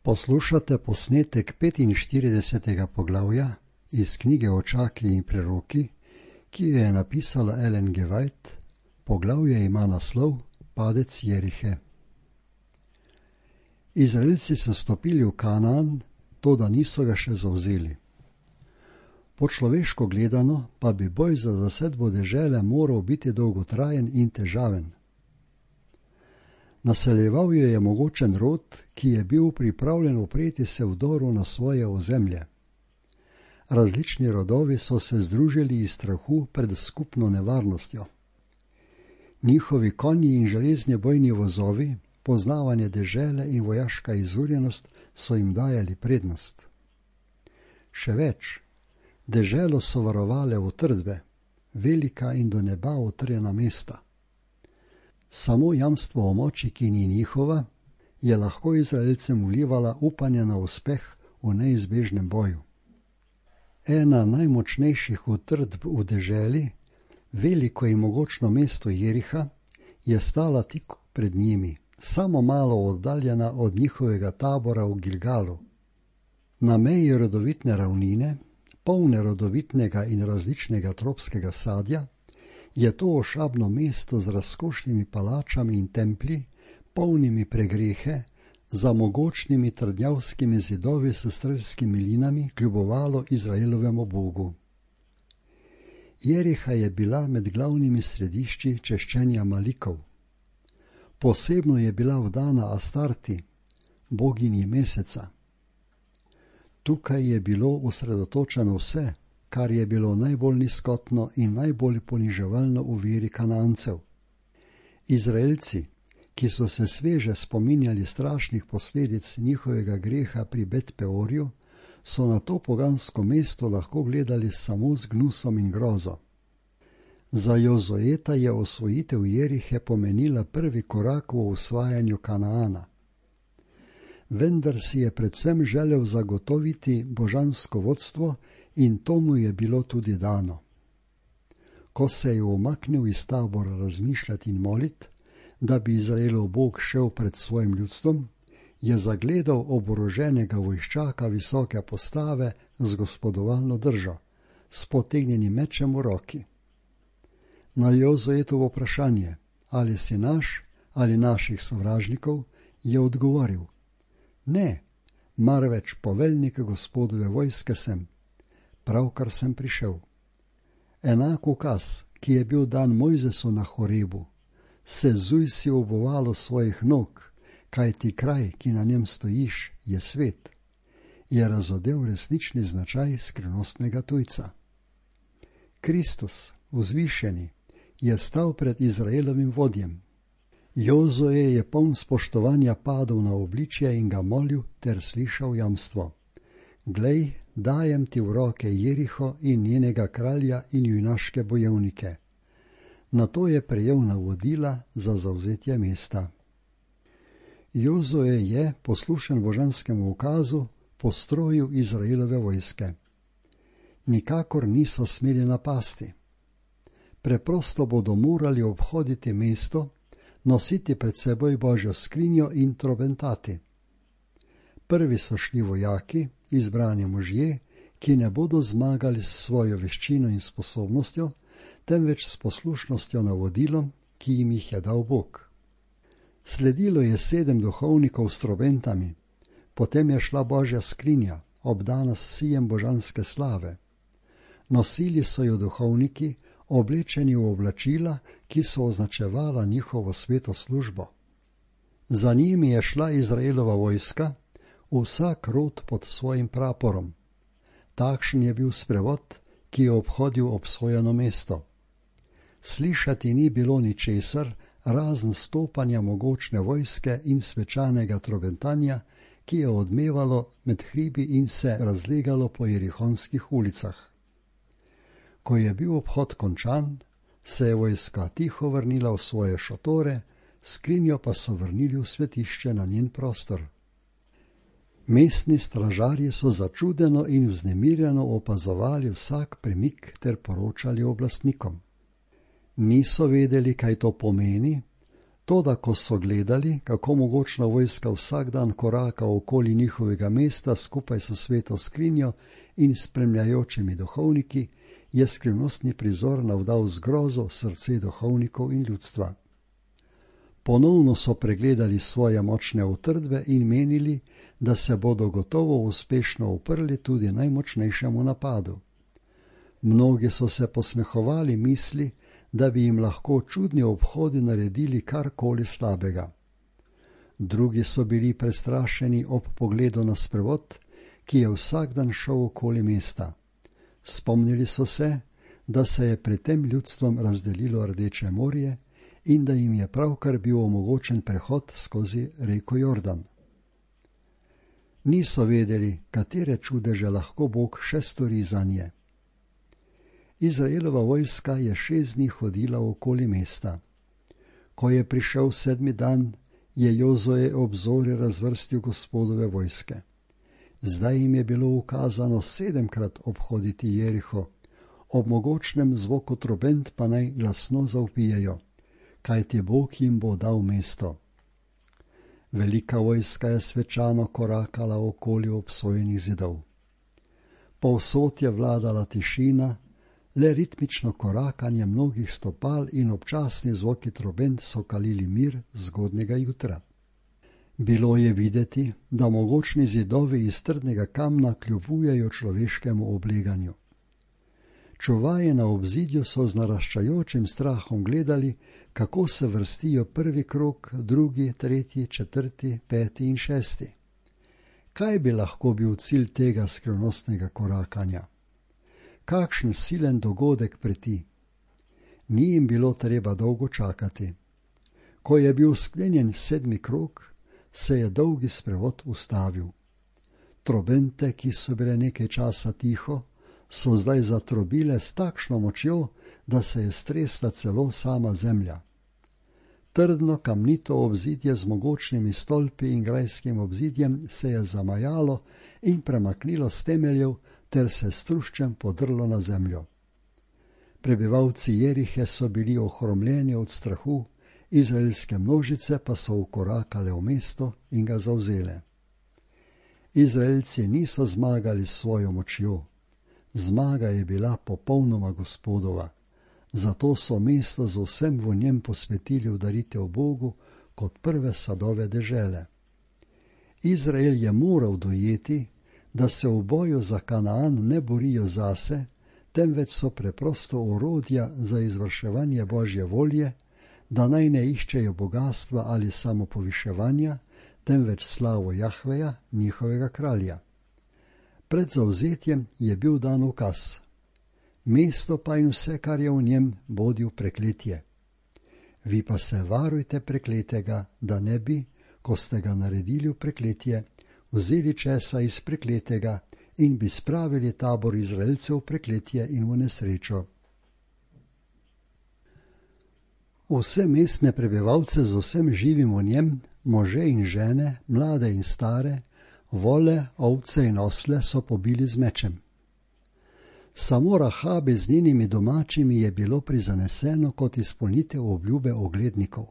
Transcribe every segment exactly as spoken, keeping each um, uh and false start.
Poslušate posnetek petinštiridesetega poglavja iz knjige Očaki in preroki, ki jo je napisala Ellen G. White. Poglavje ima naslov Padec Jerihe. Izraelci so stopili v Kanaan, toda niso ga še zavzeli. Po človeško gledano pa bi boj za zasedbo dežele moral biti dolgotrajen in težaven. Naseljeval jo je mogočen rod, ki je bil pripravljen upreti se vdoru na svoje ozemlje. Različni rodovi so se združili iz strahu pred skupno nevarnostjo. Njihovi konji in železni bojni vozovi, poznavanje dežele in vojaška izurjenost so jim dajali prednost. Še več, deželo so varovale utrdbe, velika in do neba utrjena mesta. Samo jamstvo o moči, ki ni njihova, je lahko Izraelcem vlivala upanje na uspeh v neizbežnem boju. Ena najmočnejših utrdb v deželi, veliko in mogočno mesto Jeriha, je stala tik pred njimi, samo malo oddaljena od njihovega tabora v Gilgalu. Na meji rodovitne ravnine, polne rodovitnega in različnega tropskega sadja, je to ošabno mesto z razkošnimi palačami in templji, polnimi pregrehe, za mogočnimi trdnjavskimi zidovi s strelskimi linami kljubovalo Izraelovemu Bogu. Jeriha je bila med glavnimi središči češčenja Malikov. Posebno je bila vdana Astarti, boginji meseca. Tukaj je bilo osredotočeno vse, kar je bilo najbolj nizkotno in najbolj poniževalno v veri Kanancev. Izraelci, ki so se sveže spominjali strašnih posledic njihovega greha pri Bet Peorju, so na to pogansko mesto lahko gledali samo z gnusom in grozo. Za Jozueta je osvojitev Jerihe pomenila prvi korak v osvajanju Kanaana. Vendar si je predvsem želel zagotoviti božansko vodstvo in to mu je bilo tudi dano. Ko se je umaknil iz tabora razmišljati in moliti, da bi Izraelov Bog šel pred svojim ljudstvom, je zagledal oboroženega vojščaka visoke postave z gospodovalno držo, s potegnjenim mečem v roki. Na Jozuetovo vprašanje, ali si naš ali naših sovražnikov, je odgovoril: Ne, marveč poveljnik Gospodove vojske sem, pravkar sem prišel. Enak ukaz, ki je bil dan Mojzesu na Horebu, sezuj si obovalo svojih nog, kajti kraj, ki na njem stojiš, je svet, je razodel resnični značaj skrivnostnega tujca. Kristus, vzvišeni, je stal pred Izraelovim vodjem. Jozue je poln spoštovanja padel na obličje in ga molil ter slišal jamstvo: Glej, dajem ti v roke Jeriho in njenega kralja in junaške bojevnike. Nato je prejel navodila za zavzetje mesta. Jozue je, poslušen božanskemu ukazu, postrojil Izraelove vojske. Nikakor niso smeli napasti. Preprosto bodo morali obhoditi mesto, nositi pred seboj Božjo skrinjo in trobentati. Prvi so šli vojaki, izbrani možje, ki ne bodo zmagali s svojo veščino in sposobnostjo, temveč s poslušnostjo navodilom, ki jim jih je dal Bog. Sledilo je sedem duhovnikov s trobentami, potem je šla Božja skrinja, obdana s sijem božanske slave. Nosili so jo duhovniki, oblečeni v oblačila, ki so označevala njihovo sveto službo. Za njimi je šla Izraelova vojska, vsak rod pod svojim praporom. Takšen je bil sprevod, ki je obhodil obsojeno mesto. Slišati ni bilo ničesar, razen stopanja mogočne vojske in svečanega trobentanja, ki je odmevalo med hribi in se razlegalo po jerihonskih ulicah. Ko je bil obhod končan, se je vojska tiho vrnila v svoje šotore, skrinjo pa so vrnili v svetišče na njen prostor. Mestni stražarji so začudeno in vznemirjeno opazovali vsak premik ter poročali oblastnikom. Niso vedeli, kaj to pomeni, Toda ko so gledali, kako mogočna vojska vsak dan koraka okoli njihovega mesta skupaj s sveto skrinjo in spremljajočimi duhovniki, je skrivnostni prizor navdal zgrozo srce duhovnikov in ljudstva. Ponovno so pregledali svoje močne utrdbe in menili, da se bodo gotovo uspešno uprli tudi najmočnejšemu napadu. Mnogi so se posmehovali misli, da bi jim lahko čudni obhodi naredili karkoli slabega. Drugi so bili prestrašeni ob pogledu na sprevod, ki je vsak dan šel okoli mesta. Spomnili so se, da se je pred tem ljudstvom razdelilo Rdeče morje in da jim je pravkar bil omogočen prehod skozi reko Jordan. Niso vedeli, katere čudeže lahko Bog še stori zanje. Izraelova vojska je šest dni hodila okoli mesta. Ko je prišel sedmi dan, je Jozoje obzorje razvrstil Gospodove vojske. Zdaj jim je bilo ukazano sedemkrat obhoditi Jeriho, ob mogočnem zvoku trobent pa naj glasno zavpijejo, kajti Bog jim bo dal mesto. Velika vojska je svečano korakala okoli obsojenih zidov. Povsod je vladala tišina, le ritmično korakanje mnogih stopal in občasni zvoki trobent so kalili mir zgodnega jutra. Bilo je videti, da mogočni zidovi iz trdnega kamna kljubujejo človeškemu obleganju. Čuvaje na obzidju so z naraščajočim strahom gledali, kako se vrstijo prvi krog, drugi, tretji, četrti, peti in šesti. Kaj bi lahko bil cilj tega skrivnostnega korakanja? Kakšen silen dogodek preti? Ni jim bilo treba dolgo čakati. Ko je bil sklenjen sedmi krog, se je dolgi sprevod ustavil. Trobente, ki so bile nekaj časa tiho, so zdaj zatrobile s takšno močjo, da se je stresla celo sama zemlja. Trdno kamnito obzidje z mogočnimi stolpi in grajskim obzidjem se je zamajalo in premaknilo s temeljev ter se s truščem podrlo na zemljo. Prebivalci Jerihe so bili ohromljeni od strahu, izraelske množice pa so vkorakale v mesto in ga zavzele. Izraelci niso zmagali s svojo močjo. Zmaga je bila popolnoma Gospodova, zato so mesto z vsem v njem posvetili v daritev Bogu kot prve sadove dežele. Izrael je moral dojeti, da se v boju za Kanaan ne borijo zase, temveč so preprosto orodja za izvrševanje Božje volje, da naj ne iščejo bogatstva ali samopoviševanja, temveč slavo Jahveja, njihovega kralja. Pred zavzetjem je bil dan ukaz. Mesto pa in vse, kar je v njem, bodi v prekletje. Vi pa se varujte prekletega, da ne bi, ko ste ga naredili v prekletje, vzeli česa iz prekletega in bi spravili tabor Izraelcev v prekletje in v nesrečo. Vse mestne prebivalce z vsem živim v njem, može in žene, mlade in stare, vole, ovce in osle so pobili z mečem. Samo Rahabe z njenimi domačimi je bilo prizaneseno kot izpolnitev obljube oglednikov.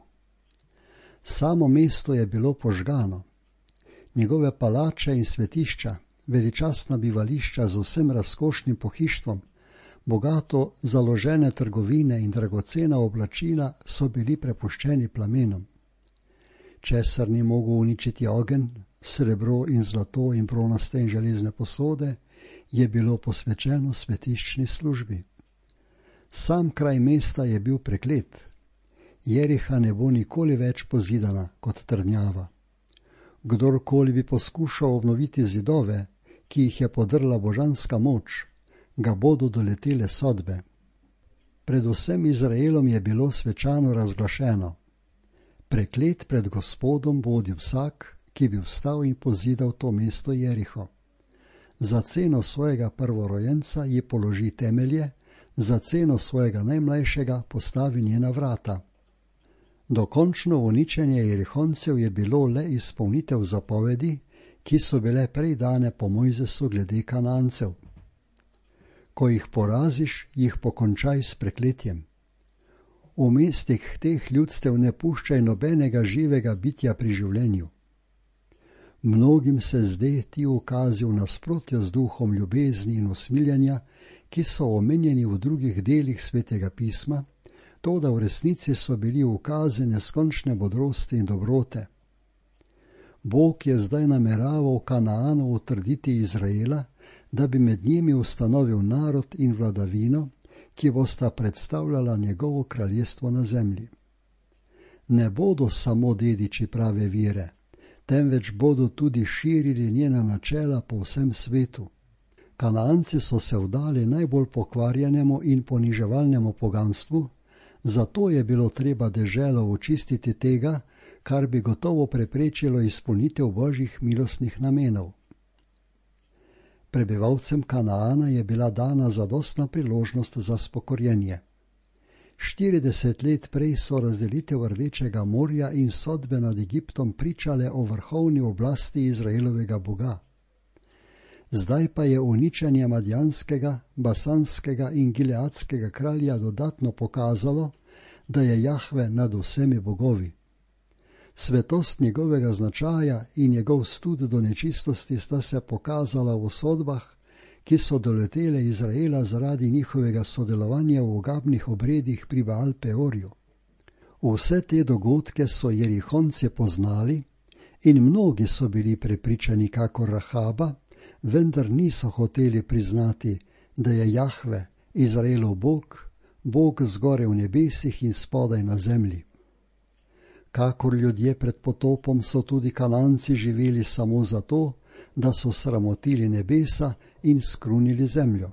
Samo mesto je bilo požgano. Njegove palače in svetišča, veličastna bivališča z vsem razkošnim pohištvom, bogato založene trgovine in dragocena oblačila so bili prepuščeni plamenom. Česar ni mogel uničiti ogenj, srebro in zlato in bronaste in železne posode, je bilo posvečeno svetiščni službi. Sam kraj mesta je bil preklet. Jeriha ne bo nikoli več pozidana kot trdnjava. Kdorkoli bi poskušal obnoviti zidove, ki jih je podrla božanska moč, ga bodo doletele sodbe. Predvsem Izraelom je bilo svečano razglašeno: preklet pred Gospodom bodi vsak, ki bi vstal in pozidal to mesto Jeriho. Za ceno svojega prvorojenca ji položi temelje, za ceno svojega najmlajšega postavi njena vrata. Dokončno uničenje Jerihoncev je bilo le izpolnitev zapovedi, ki so bile prej dane po Mojzesu glede Kanancev. Ko jih poraziš, jih pokončaj s prekletjem. V mestih teh ljudstev ne puščaj nobenega živega bitja pri življenju. Mnogim se zde ti ukazi v nasprotju z duhom ljubezni in usmiljanja, ki so omenjeni v drugih delih Svetega pisma, to da v resnici so bili ukazi neskončne modrosti in dobrote. Bog je zdaj nameraval Kanaanu utrditi Izraela, da bi med njimi ustanovil narod in vladavino, ki bosta predstavljala njegovo kraljestvo na zemlji. Ne bodo samo dediči prave vire, temveč bodo tudi širili njena načela po vsem svetu. Kanaanci so se vdali najbolj pokvarjenemu in poniževalnemu poganstvu, zato je bilo treba deželo očistiti tega, kar bi gotovo preprečilo izpolnitev božjih milostnih namenov. Prebivalcem Kanaana je bila dana zadostna priložnost za spokorjenje. štirideset let prej so razdelitev Rdečega morja in sodbe nad Egiptom pričale o vrhovni oblasti Izraelovega Boga. Zdaj pa je uničenje madjanskega, basanskega in gileadskega kralja dodatno pokazalo, da je Jahve nad vsemi bogovi. Svetost njegovega značaja in njegov stud do nečistosti sta se pokazala v sodbah, ki so doletele Izraela zaradi njihovega sodelovanja v ogabnih obredih pri Baal Peorju. Vse te dogodke so Jerihonci poznali in mnogi so bili prepričani kakor Rahaba, vendar niso hoteli priznati, da je Jahve, Izraelov Bog, Bog zgoraj v nebesih in spodaj na zemlji. Kakor ljudje pred potopom so tudi Kananci živeli samo zato, da so sramotili nebesa in skrunili zemljo.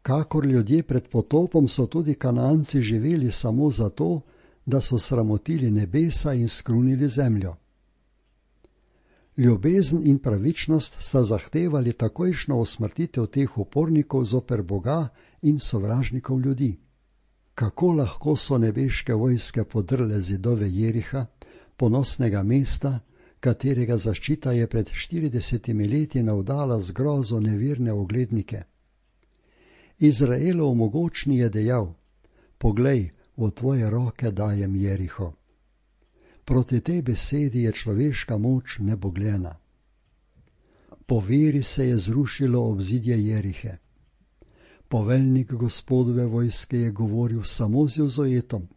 Kakor ljudje pred potopom so tudi Kananci živeli samo zato, da so sramotili nebesa in skrunili zemljo. Ljubezen in pravičnost sta zahtevali takojšno usmrtitev teh upornikov zoper Boga in sovražnikov ljudi. Kako lahko so nebeške vojske podrle zidove Jeriha, ponosnega mesta, katerega zaščita je pred štiridesetimi leti navdala z grozo nevirne oglednike? Izraelov mogočni je dejal: poglej, v tvoje roke dajem Jeriho. Proti tej besedi je človeška moč nebogljena. Po veri se je zrušilo obzidje Jerihe. Poveljnik Gospodove vojske je govoril samo z Jozoetom,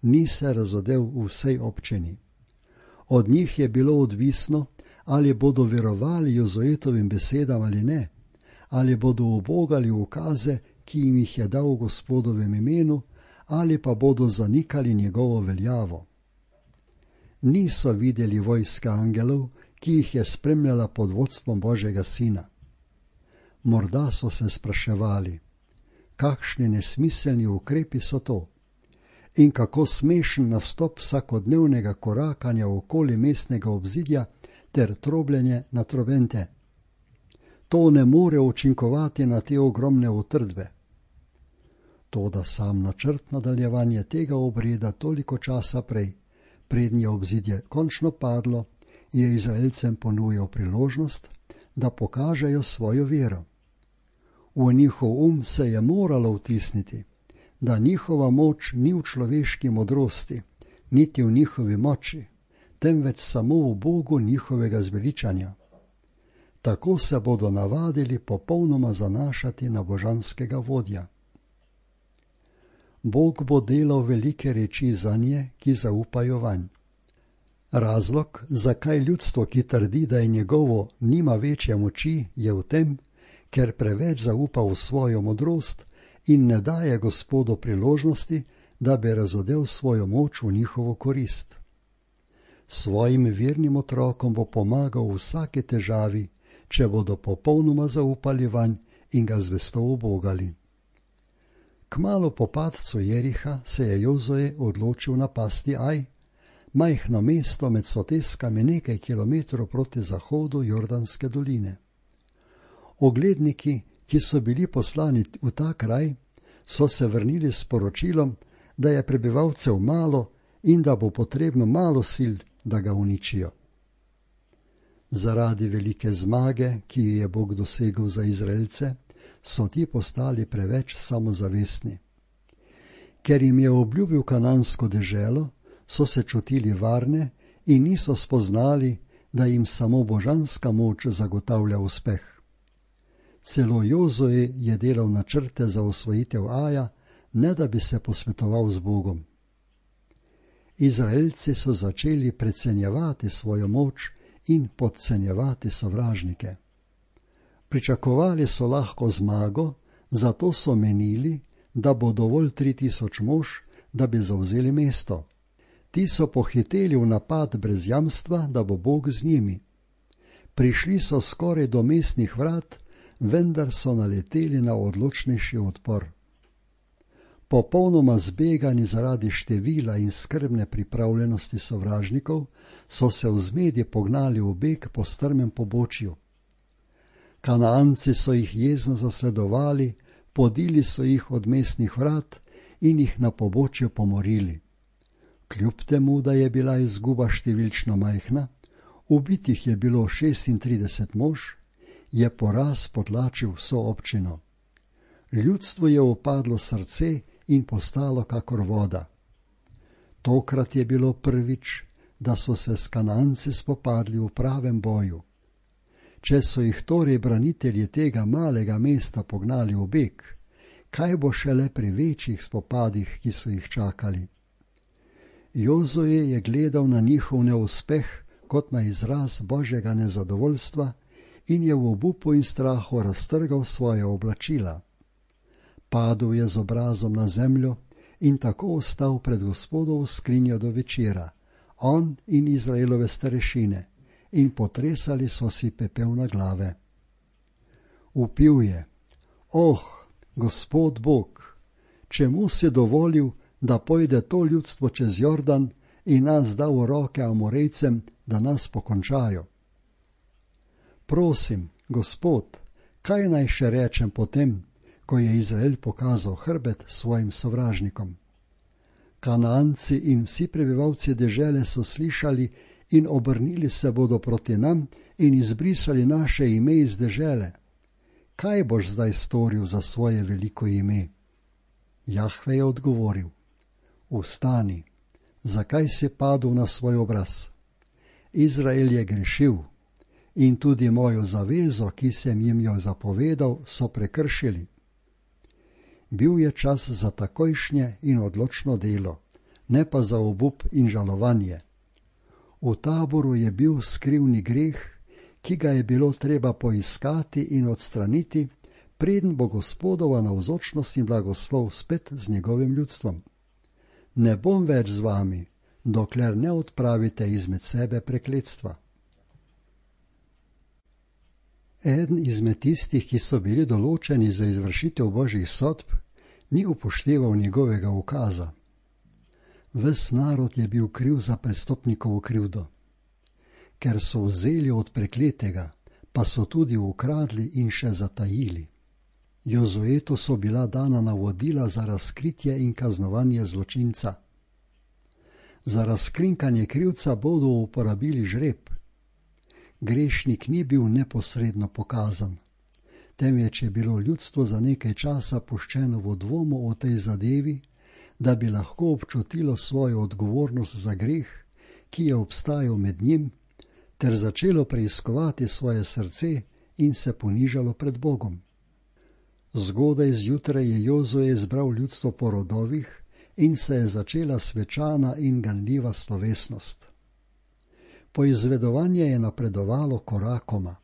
ni se razodel v vsej občini. Od njih je bilo odvisno, ali bodo verovali Jozoetovim besedam ali ne, ali bodo ubogali ukaze, ki jim jih je dal v Gospodovem imenu, ali pa bodo zanikali njegovo veljavo. Niso videli vojska angelov, ki jih je spremljala pod vodstvom Božjega Sina. Morda so se spraševali, kakšni nesmiselni ukrepi so to in kako smešen nastop vsakodnevnega korakanja okoli mestnega obzidja ter trobljenje na trobente. To ne more učinkovati na te ogromne utrdbe. Toda sam načrt nadaljevanja tega obreda toliko časa prej, prednje je obzidje končno padlo, je Izraelcem ponujal priložnost, da pokažejo svojo vero. V njihov um se je moralo vtisniti, da njihova moč ni v človeški modrosti, niti v njihovi moči, temveč samo v Bogu njihovega zveličanja. Tako se bodo navadili popolnoma zanašati na božanskega vodja. Bog bo delal velike reči zanje, ki zaupajo vanj. Razlog, zakaj ljudstvo, ki trdi, da je njegovo, nima večje moči, je v tem, ker preveč zaupa v svojo modrost in ne daje Gospodu priložnosti, da bi razodel svojo moč v njihovo korist. Svojim vernim otrokom bo pomagal v vsaki težavi, če bodo popolnoma zaupali vanj in ga zvesto ubogali. Kmalu po padcu Jeriha se je Jozoe odločil napasti Aj, majhno mesto med soteskami nekaj kilometrov proti zahodu Jordanske doline. Ogledniki, ki so bili poslani v ta kraj, so se vrnili s poročilom, da je prebivalcev malo in da bo potrebno malo sil, da ga uničijo. Zaradi velike zmage, ki jo je Bog dosegel za Izraelce, so ti postali preveč samozavestni. Ker jim je obljubil kanansko deželo, so se čutili varne in niso spoznali, da jim samo božanska moč zagotavlja uspeh. Celo Jozue je delal načrte za osvojitev Aja, ne da bi se posvetoval z Bogom. Izraelci so začeli precenjevati svojo moč in podcenjevati sovražnike. Pričakovali so lahko zmago, zato so menili, da bo dovolj tri tisoč mož, da bi zavzeli mesto. Ti so pohiteli v napad brez jamstva, da bo Bog z njimi. Prišli so skoraj do mestnih vrat, vendar so naleteli na odločnejši odpor. Popolnoma zbegani zaradi števila in skrbne pripravljenosti sovražnikov, so se v zmedi pognali v beg po strmem pobočju. Kanaanci so jih jezno zasledovali, podili so jih od mestnih vrat in jih na pobočju pomorili. Kljub temu, da je bila izguba številčno majhna, ubitih je bilo šestintrideset mož, je poraz potlačil vso občino. Ljudstvo je upadlo srce in postalo kakor voda. Tokrat je bilo prvič, da so se s Kananci spopadli v pravem boju. Če so jih torej branitelji tega malega mesta pognali v beg, kaj bo šele pri večjih spopadih, ki so jih čakali? Jozue je gledal na njihov neuspeh kot na izraz božjega nezadovoljstva in je v obupu in strahu raztrgal svoje oblačila. Padel je z obrazom na zemljo in tako ostal pred Gospodovo skrinjo do večera, on in Izraelove starešine, in potresali so si pepel na glave. Vpil je: Oh, Gospod Bog, čemu si dovolil, da pojde to ljudstvo čez Jordan in nas da v roke Amorejcem, da nas pokončajo? Prosim, Gospod, kaj naj še rečem potem, ko je Izrael pokazal hrbet svojim sovražnikom? Kanaanci in vsi prebivalci dežele so slišali in obrnili se bodo proti nam in izbrisali naše ime iz dežele. Kaj boš zdaj storil za svoje veliko ime? Jahve je odgovoril: Vstani, zakaj si padel na svoj obraz? Izrael je grešil in tudi mojo zavezo, ki sem jim jo zapovedal, so prekršili. Bil je čas za takojšnje in odločno delo, ne pa za obup in žalovanje. V taboru je bil skrivni greh, ki ga je bilo treba poiskati in odstraniti, preden bo Gospodova navzočnost in blagoslov spet z njegovim ljudstvom. Ne bom več z vami, dokler ne odpravite izmed sebe prekletstva. Eden izmed tistih, ki so bili določeni za izvršitev božjih sodb, ni upošteval njegovega ukaza. Ves narod je bil kriv za prestopnikovo krivdo. Ker so vzeli od prekletega, pa so tudi ukradli in še zatajili. Jozuetu so bila dana navodila za razkritje in kaznovanje zločinca. Za razkrinkanje krivca bodo uporabili žreb. Grešnik ni bil neposredno pokazan, temveč je bilo ljudstvo za nekaj časa puščeno v dvomu o tej zadevi, da bi lahko občutilo svojo odgovornost za greh, ki je obstajal med njim, ter začelo preiskovati svoje srce in se ponižalo pred Bogom. Zgodaj zjutraj je Jozue zbral ljudstvo po rodovih in se je začela svečana in ganljiva slovesnost. Poizvedovanje je napredovalo korakoma.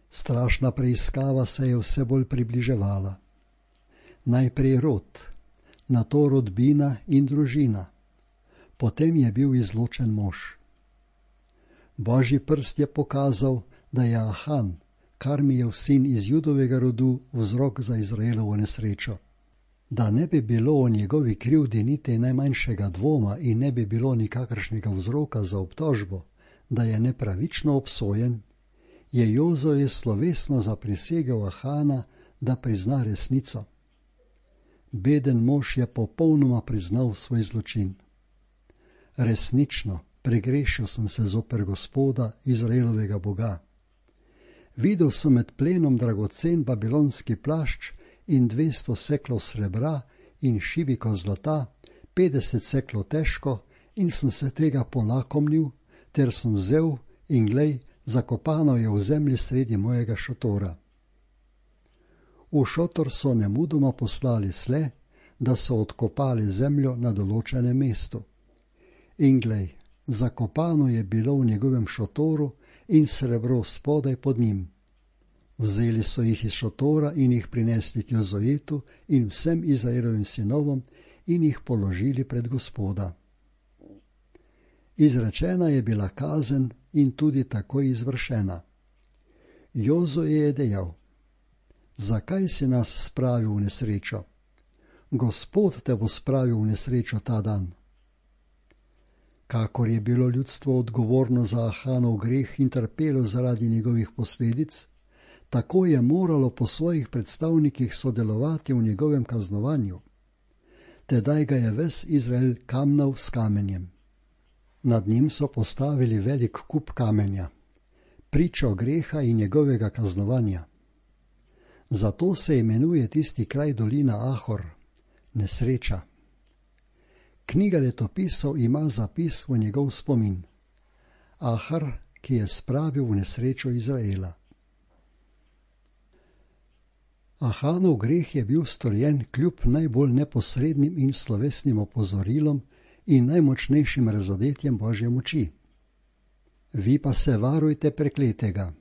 Strašna preiskava se je vse bolj približevala. Najprej rod, nato rodbina in družina, potem je bil izločen mož. Božji prst je pokazal, da je Ahan, Karmijev sin iz Judovega rodu, vzrok za Izraelovo nesrečo. Da ne bi bilo o njegovi krivdi niti najmanjšega dvoma in ne bi bilo nikakršnega vzroka za obtožbo, da je nepravično obsojen, je Jozue slovesno zaprisegel Ahana, da prizna resnico. Beden mož je popolnoma priznal svoj zločin. Resnično, pregrešil sem se zoper Gospoda, Izraelovega Boga. Videl sem med plenom dragocen babilonski plašč in dvesto seklov srebra in šibiko zlata, petdeset seklov težko, in sem se tega polakomnil, ter sem vzel in glej, zakopano je v zemlji sredi mojega šotora. V šotor so nemudoma poslali sle, da so odkopali zemljo na določenem mestu. In glej, zakopano je bilo v njegovem šotoru in srebro spodaj pod njim. Vzeli so jih iz šotora in jih prinesli k Jozojetu in vsem Izraelovim sinovom in jih položili pred Gospoda. Izrečena je bila kazen in tudi takoj izvršena. Jozoje je dejal: Zakaj si nas spravil v nesrečo? Gospod te bo spravil v nesrečo ta dan. Kakor je bilo ljudstvo odgovorno za Ahanov greh in trpelo zaradi njegovih posledic, tako je moralo po svojih predstavnikih sodelovati v njegovem kaznovanju. Tedaj ga je ves Izrael kamnal s kamenjem. Nad njim so postavili velik kup kamenja, pričo greha in njegovega kaznovanja. Zato se imenuje tisti kraj dolina Ahor, nesreča. Knjiga letopisov ima zapis v njegov spomin. Ahar, ki je spravil v nesrečo Izraela. Ahanov greh je bil storjen kljub najbolj neposrednim in slovesnim opozorilom in najmočnejšim razodetjem Božje moči. Vi pa se varujte prekletega,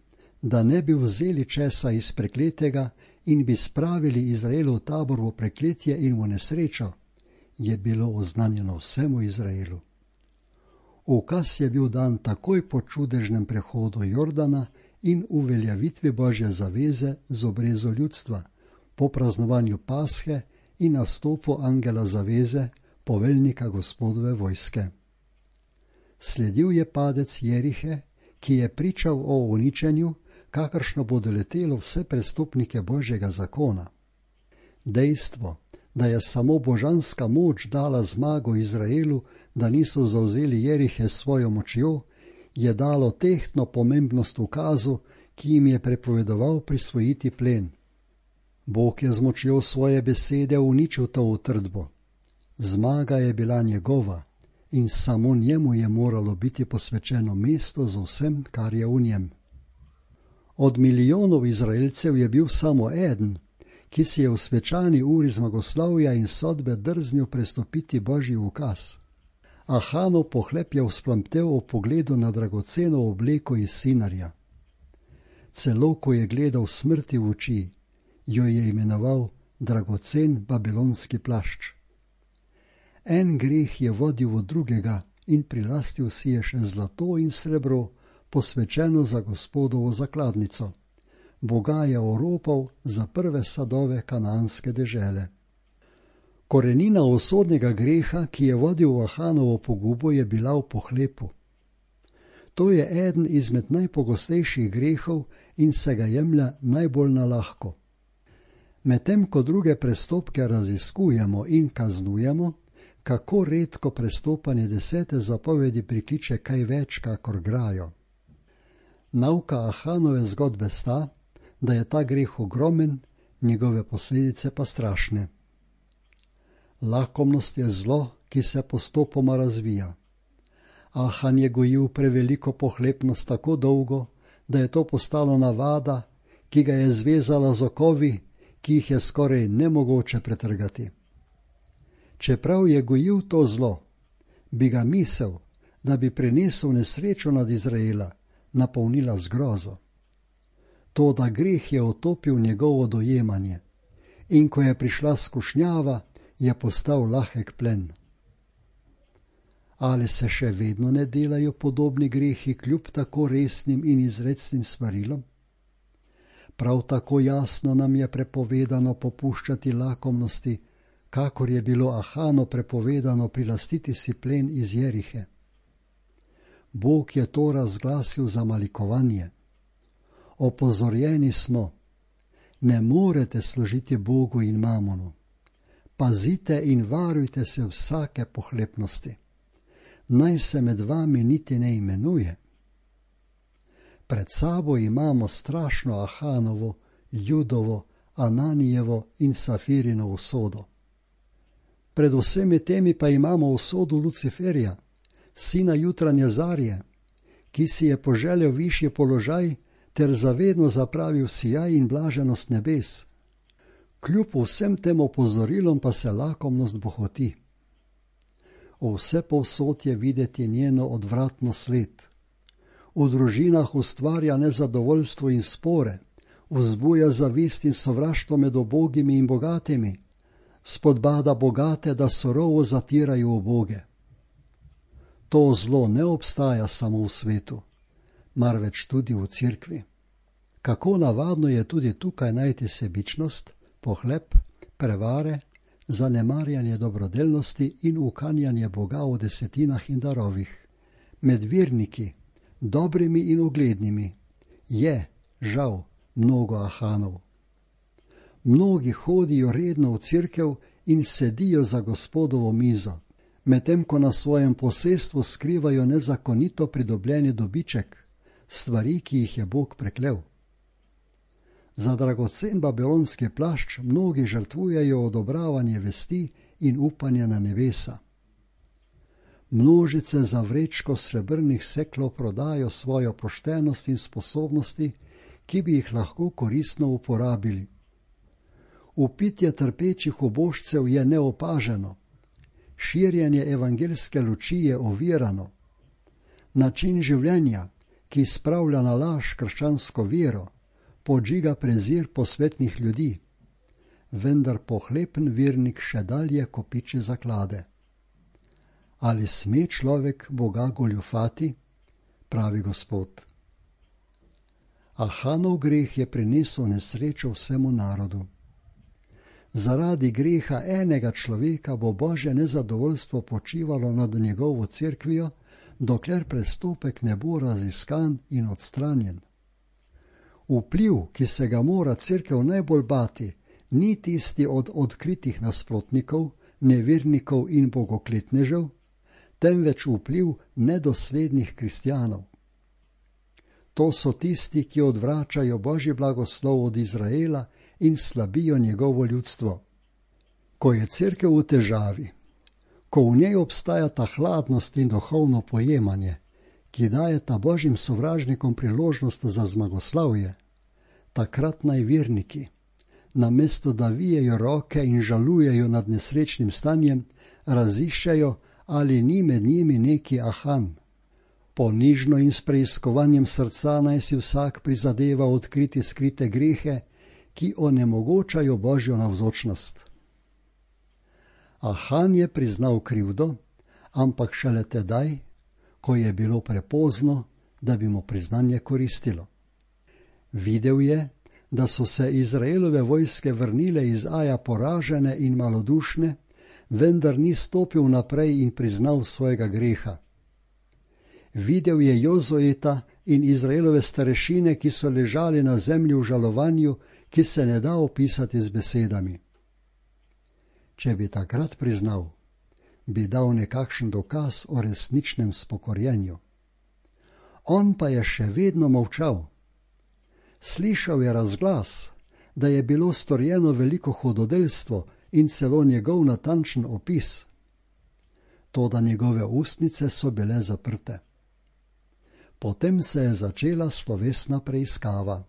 da ne bi vzeli česa iz prekletega in bi spravili Izraelov tabor v prekletje in v nesrečo, je bilo oznanjeno vsemu Izraelu. Ukaz je bil dan takoj po čudežnem prehodu Jordana in uveljavitvi Božje zaveze z obrezo ljudstva, po praznovanju Pashe in nastopu angela zaveze, poveljnika Gospodove vojske. Sledil je padec Jerihe, ki je pričal o uničenju, kakršno bo doletelo vse prestopnike Božjega zakona. Dejstvo, da je samo božanska moč dala zmago Izraelu, da niso zavzeli Jerihe s svojo močjo, je dalo tehtno pomembnost ukazu, ki jim je prepovedoval prisvojiti plen. Bog je z močjo svoje besede uničil to utrdbo. Zmaga je bila njegova in samo njemu je moralo biti posvečeno mesto z vsem, kar je v njem. Od milijonov Izraelcev je bil samo eden, ki si je v svečani uri zmagoslavja in sodbe drznil prestopiti Božji ukaz. Ahanov pohlep je vzplamtel ob pogledu na dragoceno obleko iz Sinarja. Celo ko je gledal smrti v oči, jo je imenoval dragocen babilonski plašč. En greh je vodil v drugega in prilastil si je še zlato in srebro, posvečeno za Gospodovo zakladnico. Boga je oropal za prve sadove kananske dežele. Korenina usodnega greha, ki je vodil v Ahanovo pogubo, je bila v pohlepu. To je eden izmed najpogostejših grehov in se ga jemlja najbolj na lahko. Medtem ko druge prestopke raziskujemo in kaznujemo, kako redko prestopanje desete zapovedi prikliče kaj več kakor grajo. Nauka Ahanove zgodbe sta, da je ta greh ogromen, njegove posledice pa strašne. Lakomnost je zlo, ki se postopoma razvija. Ahan je gojil preveliko pohlepnost tako dolgo, da je to postalo navada, ki ga je zvezala z okovi, ki jih je skoraj nemogoče pretrgati. Čeprav je gojil to zlo, bi ga misel, da bi prenesel nesrečo nad Izraela, napolnila z grozo. Toda greh je otopil njegovo dojemanje in ko je prišla skušnjava, je postal lahek plen. Ali se še vedno ne delajo podobni grehi kljub tako resnim in izrecnim svarilom? Prav tako jasno nam je prepovedano popuščati lakomnosti, kakor je bilo Ahanu prepovedano prilastiti si plen iz Jerihe. Bog je to razglasil za malikovanje. Opozorjeni smo, ne morete služiti Bogu in mamonu. Pazite in varujte se vsake pohlepnosti. Naj se med vami niti ne imenuje. Pred sabo imamo strašno Ahanovo, Judovo, Ananijevo in Safirino usodo. Pred vsemi temi pa imamo usodo Luciferja, sina jutranje zarje, ki si je poželel višji položaj ter zavedno zapravil sijaj in blaženost nebes. Kljub vsem tem opozorilom pa se lakomnost bohoti. Vse povsod je videti njeno odvratno sled. V družinah ustvarja nezadovoljstvo in spore, vzbuja zavist in sovraštvo med ubogimi in bogatimi, spodbada bogate, da surovo zatirajo uboge. To zlo ne obstaja samo v svetu, marveč tudi v cerkvi. Kako navadno je tudi tukaj najti sebičnost, pohlep, prevare, zanemarjanje dobrodelnosti in ukanjanje Boga v desetinah in darovih. Med verniki, dobrimi in uglednimi, je, žal, mnogo ahanov. Mnogi hodijo redno v cerkev in sedijo za Gospodovo mizo, medtem ko na svojem posestvu skrivajo nezakonito pridobljeni dobiček, stvari, ki jih je Bog preklel. Za dragocen babilonski plašč mnogi žrtvujejo odobravanje vesti in upanje na nebesa. Množice za vrečko srebrnih seklov prodajo svojo poštenost in sposobnosti, ki bi jih lahko koristno uporabili. Upitje trpečih ubožcev je neopaženo, širjenje evangelske luči je ovirano. Način življenja, ki spravlja na laž krščansko vero, podžiga prezir posvetnih ljudi, vendar pohlepen vernik še dalje kopiči zaklade. Ali sme človek Boga goljufati, pravi Gospod. Ahanov greh je prinesel nesrečo vsemu narodu. Zaradi greha enega človeka bo Božje nezadovoljstvo počivalo nad njegovo cerkvijo, dokler prestopek ne bo raziskan in odstranjen. Vpliv, ki se ga mora cerkev najbolj bati, ni tisti od odkritih nasprotnikov, nevernikov in bogokletnežev, temveč vpliv nedoslednih kristjanov. To so tisti, ki odvračajo Božji blagoslov od Izraela in slabijo njegovo ljudstvo. Ko je cerkev v težavi, ko v njej obstaja ta hladnost in duhovno pojemanje, ki dajeta Božjim sovražnikom priložnost za zmagoslavje, takrat naj verniki, namesto da vijejo roke in žalujejo nad nesrečnim stanjem, raziščejo, ali ni med njimi neki ahan. Ponižno in s preiskovanjem srca naj si vsak prizadeva odkriti skrite grehe, ki onemogočajo Božjo navzočnost. Ahan je priznal krivdo, ampak šele tedaj, ko je bilo prepozno, da bi mu priznanje koristilo. Videl je, da so se Izraelove vojske vrnile iz Aja poražene in malodušne, vendar ni stopil naprej in priznal svojega greha. Videl je Jozueta in Izraelove starešine, ki so ležali na zemlji v žalovanju, ki se ne da opisati z besedami. Če bi takrat priznal, bi dal nekakšen dokaz o resničnem spokorjenju. On pa je še vedno molčal. Slišal je razglas, da je bilo storjeno veliko hudodelstvo in celo njegov natančen opis. Toda njegove ustnice so bile zaprte. Potem se je začela slovesna preiskava.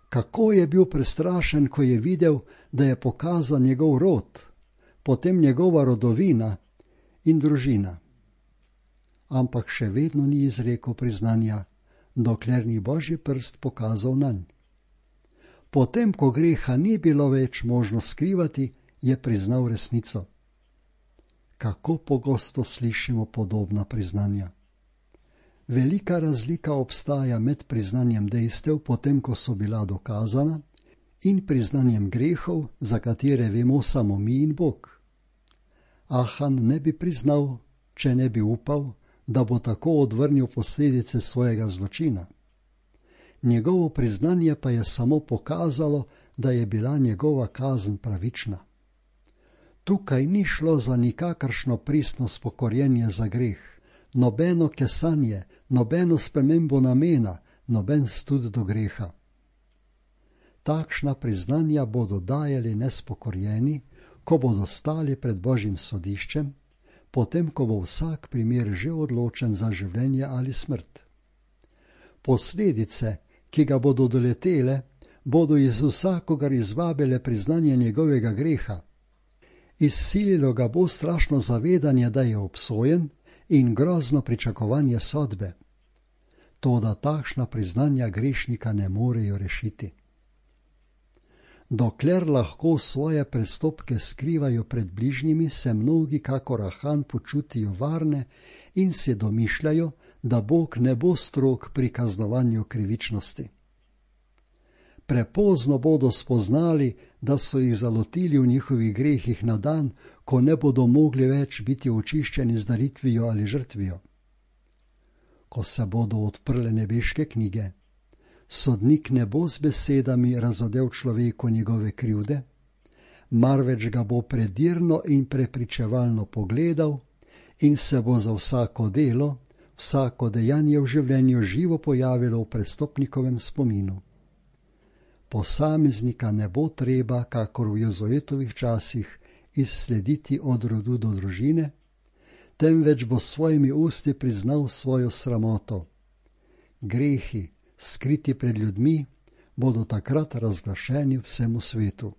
Kako je bil prestrašen, ko je videl, da je pokazan njegov rod, potem njegova rodovina in družina. Ampak še vedno ni izrekel priznanja, dokler ni Božji prst pokazal nanj. Potem, ko greha ni bilo več možno skrivati, je priznal resnico. Kako pogosto slišimo podobna priznanja. Velika razlika obstaja med priznanjem dejstev, potem ko so bila dokazana, in priznanjem grehov, za katere vemo samo mi in Bog. Ahan ne bi priznal, če ne bi upal, da bo tako odvrnil posledice svojega zločina. Njegovo priznanje pa je samo pokazalo, da je bila njegova kazen pravična. Tukaj ni šlo za nikakršno pristno spokorjenje za greh, nobeno kesanje, nobeno spremembo namena, noben stud do greha. Takšna priznanja bodo dajali nespokorjeni, ko bodo stali pred Božjim sodiščem, potem ko bo vsak primer že odločen za življenje ali smrt. Posledice, ki ga bodo doletele, bodo iz vsakogar izvabile priznanje njegovega greha. Izsililo ga bo strašno zavedanje, da je obsojen, in grozno pričakovanje sodbe. Toda takšna priznanja grešnika ne morejo rešiti. Dokler lahko svoje prestopke skrivajo pred bližnjimi, se mnogi kakor Ahan počutijo varne in si domišljajo, da Bog ne bo strog pri kaznovanju krivičnosti. Prepozno bodo spoznali, da so jih zalotili v njihovih grehih na dan, ko ne bodo mogli več biti očiščeni z daritvijo ali žrtvijo. Ko se bodo odprle nebeške knjige, sodnik ne bo z besedami razodel človeku njegove krivde, marveč ga bo predirno in prepričevalno pogledal in se bo za vsako delo, vsako dejanje v življenju živo pojavilo v prestopnikovem spominu. Posameznika ne bo treba, kakor v Jozoetovih časih, izslediti od rodu do družine, temveč bo s svojimi usti priznal svojo sramoto. Grehi, skriti pred ljudmi, bodo takrat razglašeni vsemu svetu.